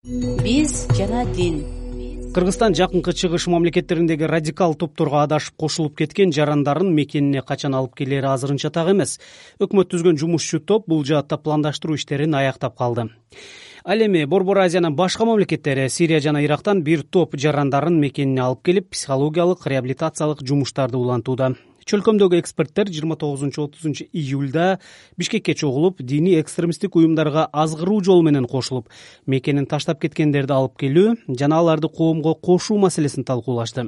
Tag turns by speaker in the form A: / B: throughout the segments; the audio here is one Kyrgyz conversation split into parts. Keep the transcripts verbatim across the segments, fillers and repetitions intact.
A: Биз жана дин.
B: Кыргызстан жакынкы чыгыш мамлекеттериндеги радикал топторго адашып кошулуп кеткен жарандарын мекенине качан алып келери азырынча так эмес. Өкмөт түзгөн жумушчу топ бул жаатта пландаштыруу иштерин аяктап калды. Ал эми Борбор Азиянын башка мамлекеттери Сирия жана Ирактан бир топ жарандарын мекенине алып келип, психологиялык реабилитациялык жумуштарды улантууда. Чөлкөмдөгү эксперттер жыйырма тогузунчу отузунчу июлда Бишкекке чогулуп, диний экстремисттик уюмдарга азгыруу жолу менен кошулуп, мекенин таштап кеткендерди алып келүү жана аларды коомго кошуу маселесин талкуулашты.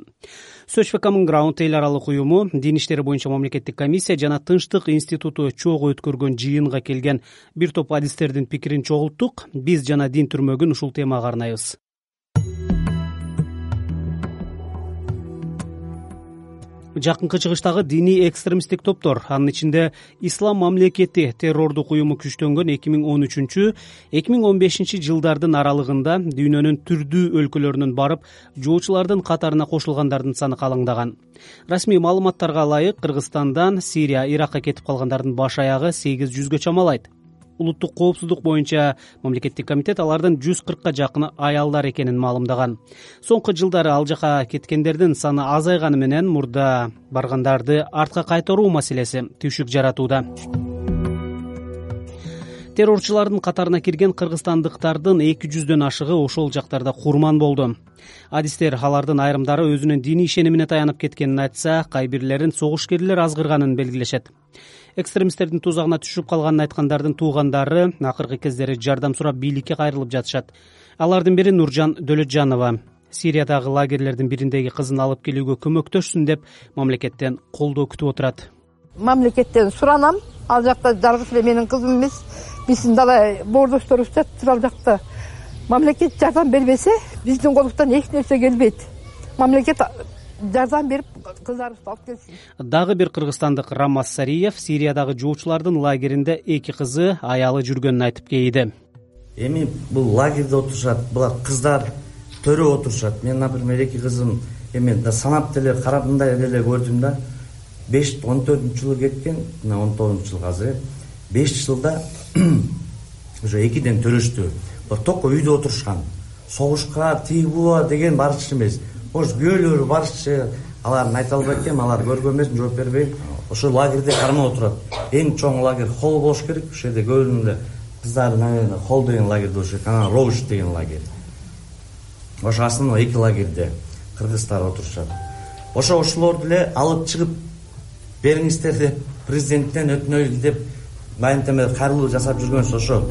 B: Search for Common Ground эл аралык уюму, дин иштери боюнча мамлекеттик комиссия жана Тынчтык институту чогуу өткөргөн жыйынга келген бир топ адистердин пикирин чогулттук. Биз жана дин түрмөгүн ушул темага арнайбыз. Жакынкы чыгыштагы диний экстремисттик топтор, анын ичинде Ислам мамлекети террордук уюму күчтөнгөн эки миң он үчүнчү эки миң он бешинчи жылдардын аралыгында дүйнөнүн түрдүү өлкөлөрүнөн барып, жоочулардын катарына кошулгандардын саны калыңдаган. Расмий маалыматтарга ылайык, Кыргызстандан Сирия, Иракка кетип калгандардын баш аягы сегиз жүзгө чамалайт. Улуттук коопсуздук боюнча мамлекеттик комитет алардын жүз кыркка жакыны аялдар экенин маалымдаган. Соңку жылдары ал жака кеткендердин саны азайганы менен мурда баргандарды артка кайтаруу маселеси түйшүк жаратууда. Террорчулардын катарына кирген кыргызстандыктардын эки жүздөн ашыгы ошол жактарда курман болду. Адистер алардын айрымдары өзүнүн диний ишенимине таянып кеткенин айтса, кайбирлерин согушкерлер азгырганын белгилешет. Экстремисттердин тузагына түшүп калганын айткандардын туугандары акыркы кездери жардам сурап бийликке кайрылып жатышат. Алардын бири Нуржан Дөлөтжанова. Сириядагы лагерлердин бириндеги кызын алып келүүгө көмөктөшсүн деп мамлекеттен колдоо күтүп отурат.
C: Мамлекеттен суранам. Ал жакта жалгыз эле менин кызым эмес, биздин дала боордошторубуз жатыр ал жакта. Мамлекет жардам бербесе, биздин колубуздан эч нерсе келбейт. Мамлекет жардам берип кыздарыбызды алып келсин.
B: Дагы бир кыргызстандык Рамаз Сариев Сириядагы жоочулардын лагеринде эки кызы, аялы жүргөнүн айтып кейиди.
D: Эми бул лагерде отурушат, булар кыздар төрө отурушат. Мен, например, эки кызым эми санап деле карап мындай эле көрдүм да. беш он төртүнчү жылы кеткен, мына он тогузунчу жыл азыр. беш жылда уже экиден төрөштү. Токко үйдө отурушкан. Согушка, тыйбуа деген барчы эмес. Ош күйөөлөрү барчы, алардын айта албайт экенмин, алар көргөн эмес, жооп бербейм. Ошо лагерде кармап отурат. Эң чоң лагерь Холл болуш керек. Ошол жерде көбүнө кыздардын, наверное, Холл деген лагерде болуш керек, анан Роуш деген лагерь. Ошо основной эки лагерде кыргыздар отурушат. Ошо ошолорду эле алып чыгып бериңиздер деп президенттен өтүнөбүз деп майымтеме кайрылуу жасап жүргөнсү ошо.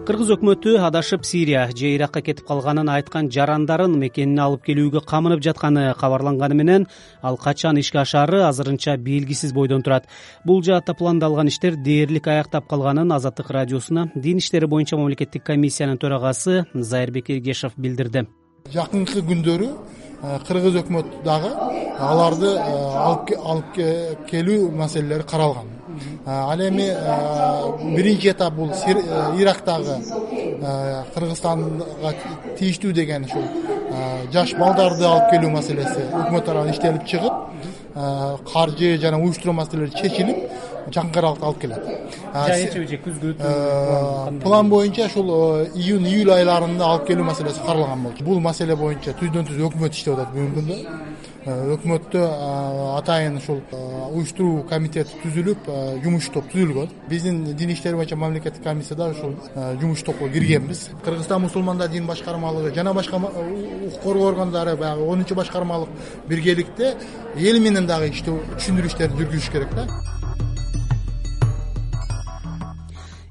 B: Кыргыз өкмөтү адашып Сирия же Иракка кетип калганын айткан жарандарын мекенине алып келүүгө камынып жатканы кабарланганы менен, ал качан ишке ашаары азырынча белгисиз бойдон турат. Бул жаатта пландалган иштер дээрлик аяктап калганын Азаттык радиосуна дин иштери боюнча мамлекеттик комиссиянын төрагасы Зайырбек Эгешев билдирди.
E: Жакынкы күндөрү Кыргыз өкмөт дагы аларды алып келүү маселелери каралган. Ал эми биринчи этап бул Ирактагы Кыргызстанга тийиштүү деген ушул жаш балдарды алып келүү маселеси өкмөт тарабынан иштелип чыгып, каржы жана уюштуруу маселелери чечилип, жакынкы аралыкта алып келет.
B: Жайчы күзгө
E: план боюнча ушул июнь июль айларында алып келүү маселеси каралган болчу. Бул маселе боюнча түздөн түз өкмөт иштеп атат бүгүнкү күндө. Өкмөттө атайын ушул уюштуруу комитети түзүлүп, жумуш топ түзүлгөн. Биздин дин иштери боюнча мамлекеттик комиссияда ушул жумуш топко киргенбиз. Кыргызстан мусулмандар дин башкармалыгы жана башка укук коргоо органдары баягы онунчу башкармалык биргеликте эл менен дагы иштөө түшүндүрүү иштерин жүргүзүш керек да.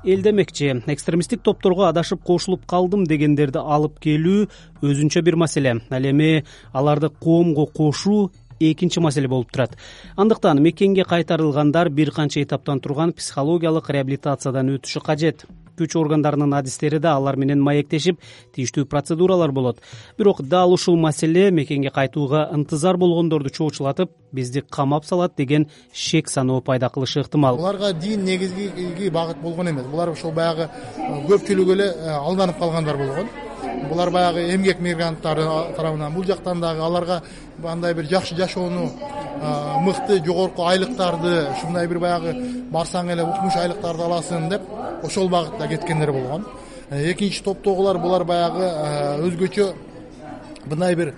B: Эл демекчи, экстремисттик топторго адашып кошулуп калдым дегендерди алып келүү өзүнчө бир маселе. Ал эми аларды коомго кошуу экинчи маселе болуп турат. Андыктан мекенге кайтарылгандар бир канча этаптан турган психологиялык реабилитациядан өтүшү кажет. Күч органдарынын адистери да алар менен маектешип, тийиштүү процедуралар болот. Бирок дал ушул маселе мекенге кайтууга ынтызар болгондорду чоочулатып, бизди камап салат деген шек саноо пайда кылышы ыктымал.
E: Буларга дин негизги багыт болгон эмес. Булар ошол баягы көпчүлүгү эле алданып калгандар болгон. Булар баягы эмгек мигранттары тарабынан бул жактан дагы аларга андай бир жакшы жашоону мыкты жогорку айлыктарды, ушундай бир баягы барсаң эле укмуш айлыктарды аласың деп ошол багытта кеткендер болгон. Экинчи топтогулар булар баягы өзгөчө мындай бир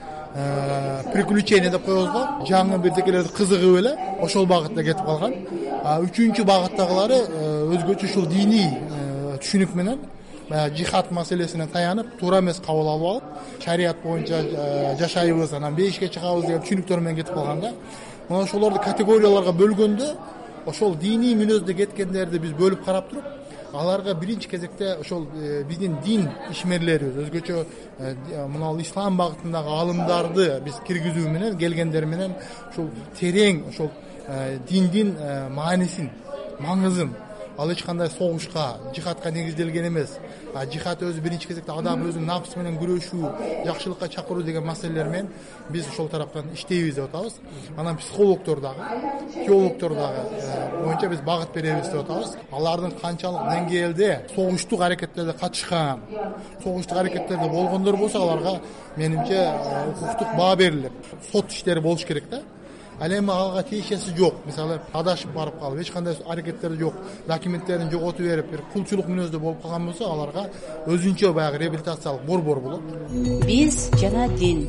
E: приключение деп коебуз го, жаңы бирдекелерди кызыгып эле ошол багытта кетип калган. Үчүнчү багыттагылары өзгөчө ушул диний түшүнүк менен баягы жихад маселесине таянып, туура эмес кабыл алып алып, шарият боюнча жашайбыз, анан бейишке чыгабыз деген түшүнүктөр менен кетип калганда, мына ошолорду категорияларга бөлгөндө, ошол диний мүнөздө кеткендерди биз бөлүп карап туруп, аларга биринчи кезекте ошол биздин дин ишмерлерибиз, өзгөчө мына ислам багытындагы алымдарды биз киргизүү менен, келгендер менен ушул терең ошол диндин маанисин, маңызын, ал эч кандай согушка, жихадка негизделген эмес. А жихад өзү биринчи кезекте адам өзүнүн нафсы менен күрөшүү, жакшылыкка чакыруу деген маселелер менен биз ошол тараптан иштейбиз деп атабыз. Анан психологдор дагы, теологдор дагы боюнча биз багыт беребиз деп атабыз. Алардын канчалык деңгээлде согуштук аракеттерде катышкан, согуштук аракеттерде болгондор болсо, аларга менимче укуктук баа берилип, сот иштери болуш керек да. Ал эми алга тиешеси жок. Мисалы, адашып барып калып, эч кандай аракеттери жок, документтерин жоготуп берип, бир кулчулук мүнөздө болуп калган болсо, аларга өзүнчө баягы реабилитациялык борбор болот.
A: Биз жана дин.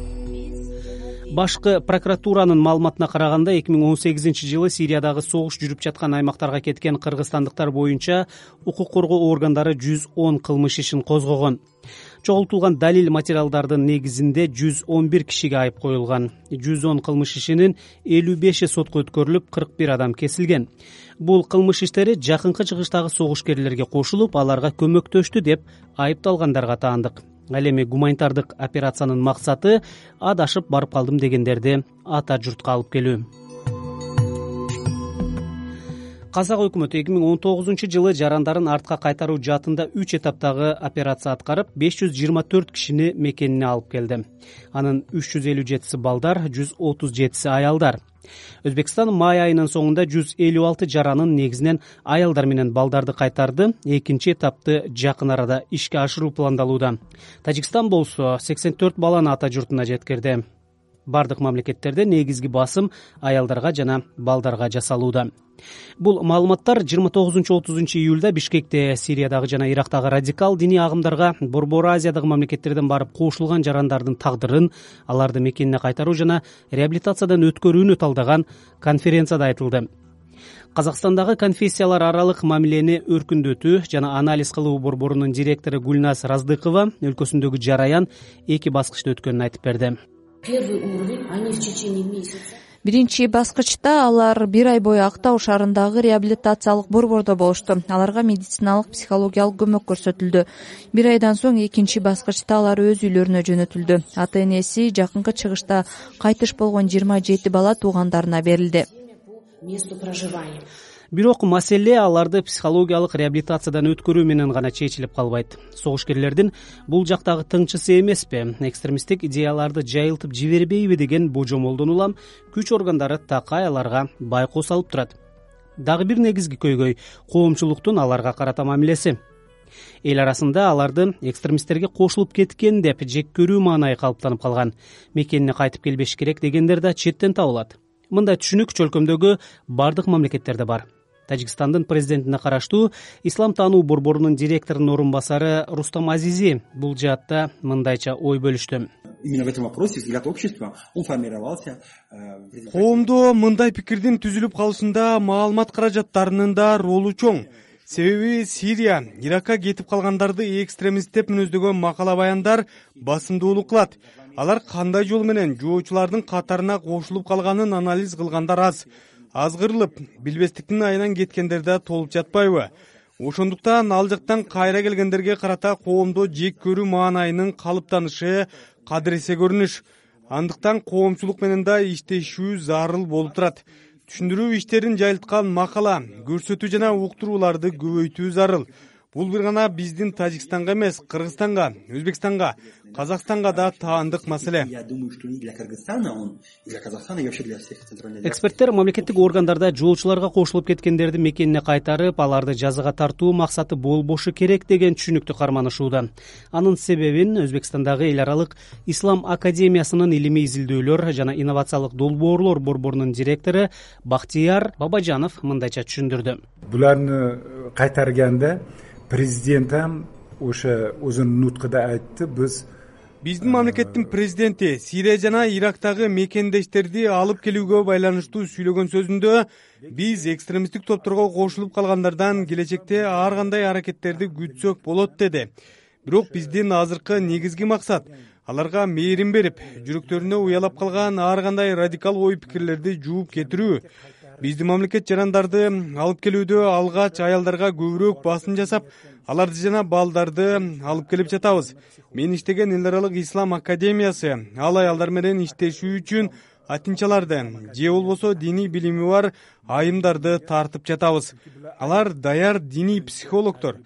B: Башкы прокуратуранын маалыматына караганда, эки миң он сегизинчи жылы Сириядагы согуш жүрүп жаткан аймактарга кеткен кыргызстандыктар боюнча укук коргоо органдары жүз он кылмыш ишин козгогон. Чогултулган далил материалдардын негизинде жүз он бир кишиге айып коюлган. жүз он кылмыш ишинин элүү беши сотко өткөрүлүп, кырк бир адам кесилген. Бул кылмыш иштери жакынкы чыгыштагы согушкерлерге кошулуп, аларга көмөктөштү деп айыпталгандарга таандык. Ал эми гуманитардык операциянын максаты адашып барып калдым дегендерди ата журтка алып келүү. Казак өкмөтү эки миң он тогузунчу жылы жарандарын артка кайтаруу жаатында үч этаптагы операция аткарып, беш жүз жыйырма төрт кишини мекенине алып келди. Анын үч жүз элүү жетиси балдар, жүз отуз жетиси аялдар. Өзбекстан май айынын соңунда жүз элүү алты жаранын, негизинен аялдар менен балдарды кайтарды. Экинчи этапты жакын арада ишке ашыруу пландалууда. Тажикстан болсо сексен төрт баланы ата журтуна жеткирди. Бардык мамлекеттерде негизги басым аялдарга жана балдарга жасалууда. Бул маалыматтар жыйырма тогузунчу отузунчу июлда Бишкекте Сириядагы жана Ирактагы радикал диний агымдарга Борбор Азиядагы мамлекеттерден барып кошулган жарандардын тагдырын, аларды мекенине кайтаруу жана реабилитациядан өткөрүүнү талдаган конференцияда айтылды. Казакстандагы конфессиялар аралык мамилени өркүндөтүү жана анализ кылуу борборунун директору Гүлназ Раздыкова өлкөсүндөгү жараян эки баскычта өткөнүн айтып берди.
A: Первый уровень, они в течение месяца.
F: Биринчи баскычта алар бир ай бою Актау шаарындагы реабилитациялык борбордо болушту. Аларга медициналык, психологиялык көмөк көрсөтүлдү. Бир айдан соң экинчи баскычта алар өз үйлөрүнө жөнөтүлдү. Ата энеси жакынкы чыгышта кайтыш болгон жыйырма жети бала туугандарына берилди. Бирок
B: маселе аларды психологиялык реабилитациядан өткөрүү менен гана чечилип калбайт. Согушкерлердин бул жактагы тыңчысы эмеспи, экстремисттик идеяларды жайылтып жибербейби деген божомолдон улам күч органдары такай аларга байкоо салып турат. Дагы бир негизги көйгөй коомчулуктун аларга карата мамилеси. Эл арасында аларды экстремисттерге кошулуп кеткен деп жек көрүү маанайы калыптанып калган. Мекенине кайтып келбеш керек дегендер да четтен табылат. Мындай түшүнүк чөлкөмдөгү бардык мамлекеттерде бар. Тажикстандын президентине караштуу Ислам таануу борборунун директорунун орун басары Рустам Азизи бул жаатта мындайча ой бөлүштү.
G: Именно в этом вопросе взгляд общества он формировался.
H: Коомдо мындай пикирдин түзүлүп калышында маалымат каражаттарынын да ролу чоң. Себеби Сирия, Иракка кетип калгандарды экстремист деп мүнөздөгөн макала баяндар басымдуулук кылат. Алар кандай жол менен жоочулардын катарына кошулуп калганын анализ кылгандар аз. Азгырылып, билбестиктин айынан кеткендер да толуп жатпайбы? Ошондуктан ал жактан кайра келгендерге карата коомдо жек көрүү маанайынын калыптанышы кадыресе көрүнүш. Андыктан коомчулук менен да иштешүү зарыл болуп турат. Түшүндүрүү иштерин жайылткан макала, көрсөтүү жана уктурууларды көбөйтүү зарыл. бул бир гана биздин Тажикстанга эмес, Кыргызстанга, Өзбекстанга, Казакстанга да таандык маселе.
G: Я думаю, что и для Кыргызстана он, и для Казахстана, и вообще для всех центральных.
B: Эксперттер мамлекеттик органдарда жолчуларга кошулуп кеткендерди мекенине кайтарып, аларды жазага тартуу максаты болбошу керек деген түшүнүктү карманышууда. Анын себебин Өзбекстандагы эл аралык Ислам академиясынын илимий изилдөөлөр жана инновациялык долбоорлор борборунун директору Бактияр Бабажанов мындайча түшүндүрдү.
I: Буларны кайтарганда президент ham o'sha o'zini nutqida aytdi, biz
H: биздин мамлекеттин президенти Сирия жана Ирактагы мекендештерди алып келүүгө байланыштуу сүйлөгөн сөзүндө биз экстремисттик топторго кошулуп калгандардан келечекте ар кандай аракеттерди күтсөк болот деди. Бирок биздин азыркы негизги максат аларга мээрим берип, жүрөктөрүнө уялап калган ар кандай радикал ой пикирлерди жууп кетирүү. Биздин мамлекет жарандарды алып келүүдө алгач аялдарга көбүрөөк басым жасап, аларды жана балдарды алып келип жатабыз. Мен иштеген эл аралык Ислам академиясы ал аялдар менен иштешүү үчүн атынчаларды же болбосо диний билими бар айымдарды тартып жатабыз. Алар даяр диний психологдор.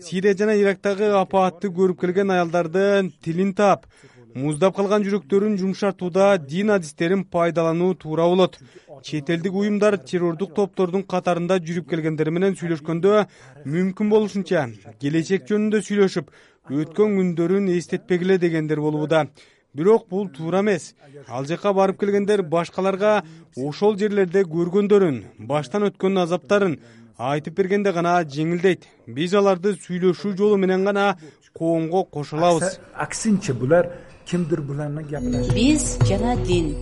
H: Сирия жана Ирактагы апаатты көрүп келген аялдардын тилин таап, муздап калган жүрөктөрүн жумшартууда дин адистерин пайдалануу туура болот. Чет элдик уюмдар террордук топтордун катарында жүрүп келгендер менен сүйлөшкөндө мүмкүн болушунча келечек жөнүндө сүйлөшүп, өткөн күндөрүн эстетпегиле дегендер болууда. Бирок бул туура эмес. Ал жака барып келгендер башкаларга ошол жерлерде көргөндөрүн, баштан өткөн азаптарын айтып бергенде гана жеңилдейт. Биз аларды сүйлөшүү жолу менен гана коомго кошо алабыз.
I: Аксинче булар кимдир буларны гапылашат.
A: Биз жана дин.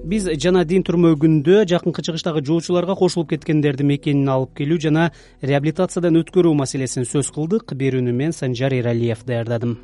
B: Биз жана дин түрмөгүндө жакынкы чыгыштагы жолчуларга кошулуп кеткендерди мекенине алып келүү жана реабилитациядан өткөрүү маселесин сөз кылдык. Берүүнү мен Санжар Эралиев даярдадым.